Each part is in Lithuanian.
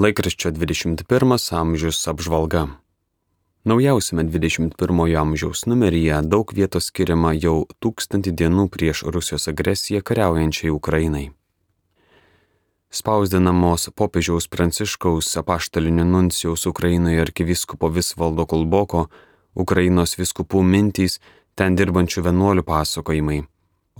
Laikraščio 21 amžius apžvalga. Naujausiame 21 amžiaus numeryje daug vietos skiriama jau 1000 dienų prieš Rusijos agresiją kariaujančiai Ukrainai. Spausdinamos popiežiaus Pranciškaus apaštalinio nuncijaus Ukrainoje arkivyskupo Visvaldo Kulboko, Ukrainos vyskupų mintys, ten dirbančių vienuolių pasakojimai,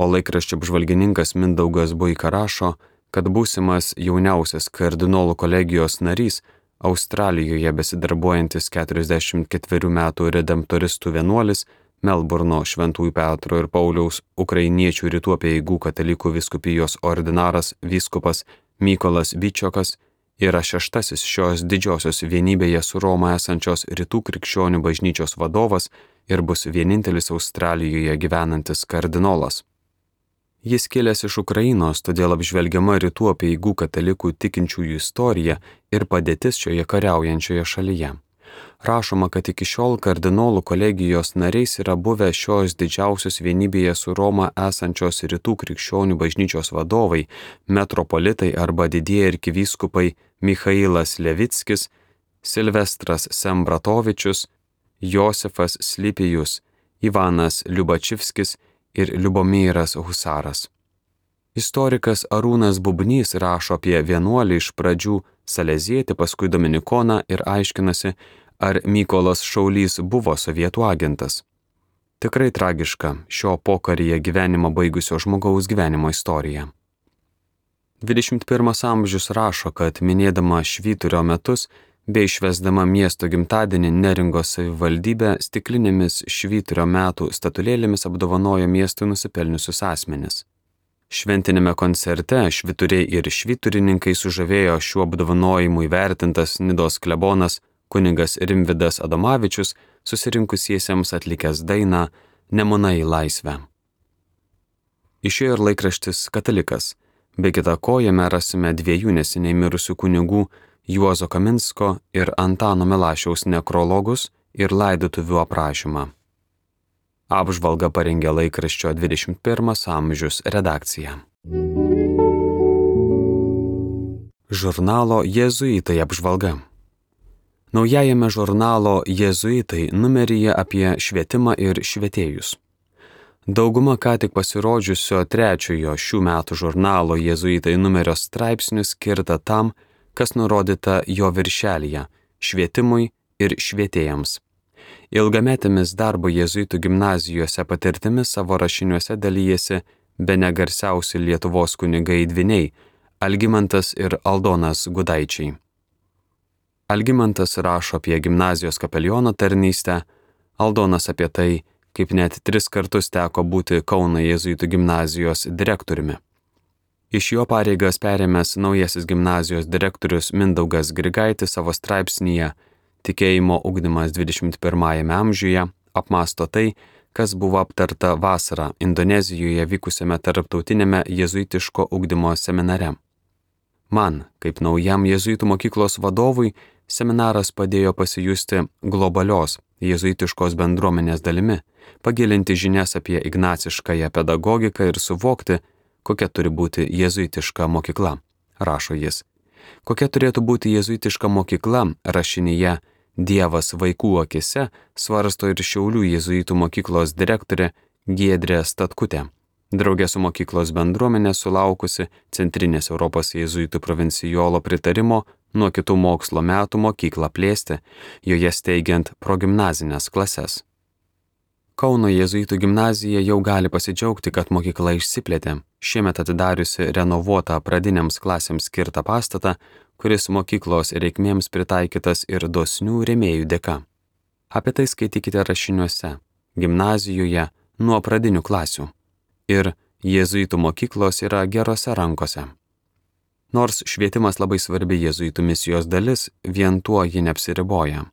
o laikraščio apžvalgininkas Mindaugas Buika rašo, kad būsimas jauniausias kardinolų kolegijos narys, Australijoje besidarbuojantis 44 metų redemptoristų vienuolis, Melburno Šventųjų Petro ir Pauliaus ukrainiečių rytų apeigų katalikų vyskupijos ordinaras vyskupas Mykolas Vyčiokas yra 6. šios didžiosios vienybėje su Roma esančios rytų krikščionių bažnyčios vadovas ir bus vienintelis Australijoje gyvenantis kardinolas. Jis kilęs iš Ukrainos, todėl apžvelgiama rytų apeigų katalikų tikinčiųjų istorija ir padėtis šioje kariaujančioje šalyje. Rašoma, kad iki šiol kardinolų kolegijos nariais yra buvę šios didžiausios vienybėje su Roma esančios rytų krikščionių bažnyčios vadovai, metropolitai arba didieji arkivyskupai Michailas Levickis, Silvestras Sembratovičius, Josefas Slipijus, Ivanas Liubačivskis ir Liubomyras Husaras. Istorikas Arūnas Bubnys rašo apie vienuolį iš pradžių Salezietį, paskui Dominikoną ir aiškinasi, ar Mykolas Šaulys buvo sovietų agentas. Tikrai tragiška šio pokaryje gyvenimą baigusio žmogaus gyvenimo istorija. 21 amžius rašo, kad minėdama švyturio metus bei švęsdama miesto gimtadienį Neringos savivaldybė stiklinėmis švyturio metų statulėlėmis apdovanojo miestui nusipelniusius asmenis. Šventinėme koncerte švyturiai ir švyturininkai sužavėjo šiuo apdovanojimu įvertintas Nidos klebonas kunigas Rimvydas Adomavičius, susirinkusiesiems atlikęs dainą Nemunai į laisvę. Išėjo ir laikraštis Katalikas, be kita ko jame rasime 2 neseniai mirusių kunigų Juozo Kaminsko ir Antano Milašiaus nekrologus ir laidotuvių aprašymą. Apžvalgą parengė laikraščio 21 amžius redakcija. Žurnalo Jėzuitai apžvalga. Naujajame žurnalo Jėzuitai numeryje apie švietimą ir švietėjus. Dauguma ką tik pasirodžiusio 3 šių metų žurnalo Jėzuitai numerio straipsnių skirta tam, kas nurodyta jo viršelyje – švietimui ir švietėjams. Ilgametėmis darbo jėzuitų gimnazijose patirtimis savo rašiniuose dalyjasi bene garsiausi Lietuvos kunigai dvyniai – Algimantas ir Aldonas Gudaičiai. Algimantas rašo apie gimnazijos kapeliono tarnystę, Aldonas apie tai, kaip net 3 kartus teko būti Kauno jėzuitų gimnazijos direktoriumi. Iš jo pareigas perėmęs naujasis gimnazijos direktorius Mindaugas Grigaitis savo straipsnyje Tikėjimo ugdymas 21 amžiuje apmąsto tai, kas buvo aptarta vasarą Indonezijoje vykusiame tarptautinėme jėzuitiško ugdymo seminare. Man, kaip naujam jėzuitų mokyklos vadovui, seminaras padėjo pasijusti globalios jėzuitiškos bendruomenės dalimi, pagilinti žinias apie ignaciškąją pedagogiką ir suvokti, kokia turi būti jėzuitiška mokykla, rašo jis. Kokia turėtų būti jėzuitiška mokykla, rašinyje Dievas vaikų akise svarsto ir Šiaulių jėzuitų mokyklos direktorė Giedrė Statkutė. Draugė su mokyklos bendruomenė sulaukusi Centrinės Europos jėzuitų provincijolo pritarimo nuo kitų mokslo metų mokyklą plėsti, joje steigiant progimnazinės klases. Kauno jėzuitų gimnazija jau gali pasidžiaugti, kad mokykla išsiplėtė, šiemet atidariusi renovuotą pradinėms klasėms skirtą pastatą, kuris mokyklos reikmėms pritaikytas ir dosnių rėmėjų dėka. Apie tai skaitykite rašiniuose, gimnazijoje nuo pradinių klasių. Ir jėzuitų mokyklos yra gerose rankose. Nors švietimas labai svarbi jėzuitų misijos dalis, vien tuo ji neapsiriboja.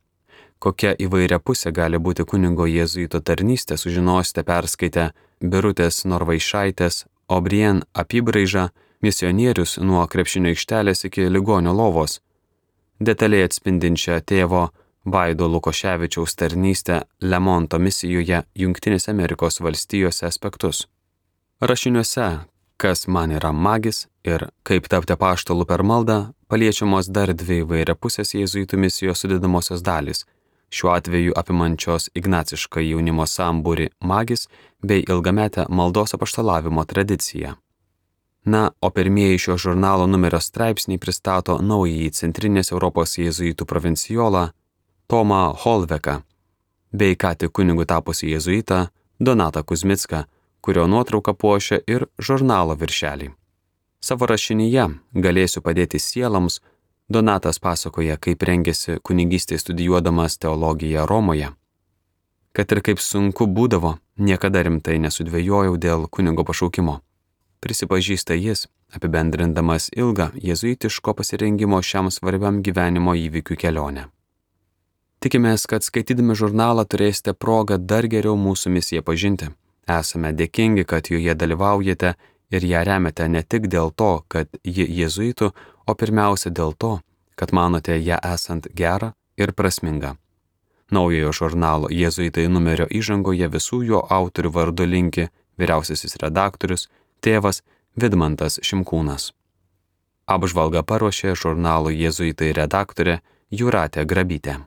Kokia įvairia pusė gali būti kunigo jėzuito tarnystė, sužinosite perskaitę Birutės Norvaišaitės O'Brien apibraižą Misionierius nuo krepšinio aikštelės iki ligonio lovos, detaliai atspindinčią tėvo Vaido Lukoševičiaus tarnystę Lemonto misijoje Jungtinėse Amerikos valstijose aspektus. Rašiniuose kas man yra magis ir kaip tapti apaštalu per maldą, paliečiamos dar dvi įvairiapusės jėzuitų misijos sudedamosios dalys, šiuo atveju apimančios ignacišką jaunimo sambūrį magis bei ilgametę maldos apaštalavimo tradiciją. Na, o pirmieji šio žurnalo numerio straipsniai pristato naująjį Centrinės Europos jėzuitų provincijolą Tomą Holveką bei ką tik kunigu tapusi jėzuitą Donatą Kuzmicką, kurio nuotrauka puošia ir žurnalo viršelį. Savo rašinyje Galėsiu padėti sieloms Donatas pasakoja, kaip rengėsi kunigystėje studijuodamas teologiją Romoje. Kad ir kaip sunku būdavo, niekada rimtai nesudvejojau dėl kunigo pašaukimo. Prisipažįsta jis, apibendrindamas ilgą jėzuitiško pasirengimo šiam svarbiam gyvenimo įvykių kelionę. Tikimės, kad skaitydami žurnalą turėsite progą dar geriau mūsų misiją pažinti. Esame dėkingi, kad joje dalyvaujate ir ją remiate ne tik dėl to, kad ji jėzuitų, o pirmiausia dėl to, kad manote ją esant gerą ir prasmingą. Naujojo žurnalo Jėzuitai numerio įžangoje visų jo autorių vardu linki vyriausiasis redaktorius, tėvas Vidmantas Šimkūnas. Apžvalgą paruošė žurnalo Jėzuitai redaktorė Jūratė Grabytė.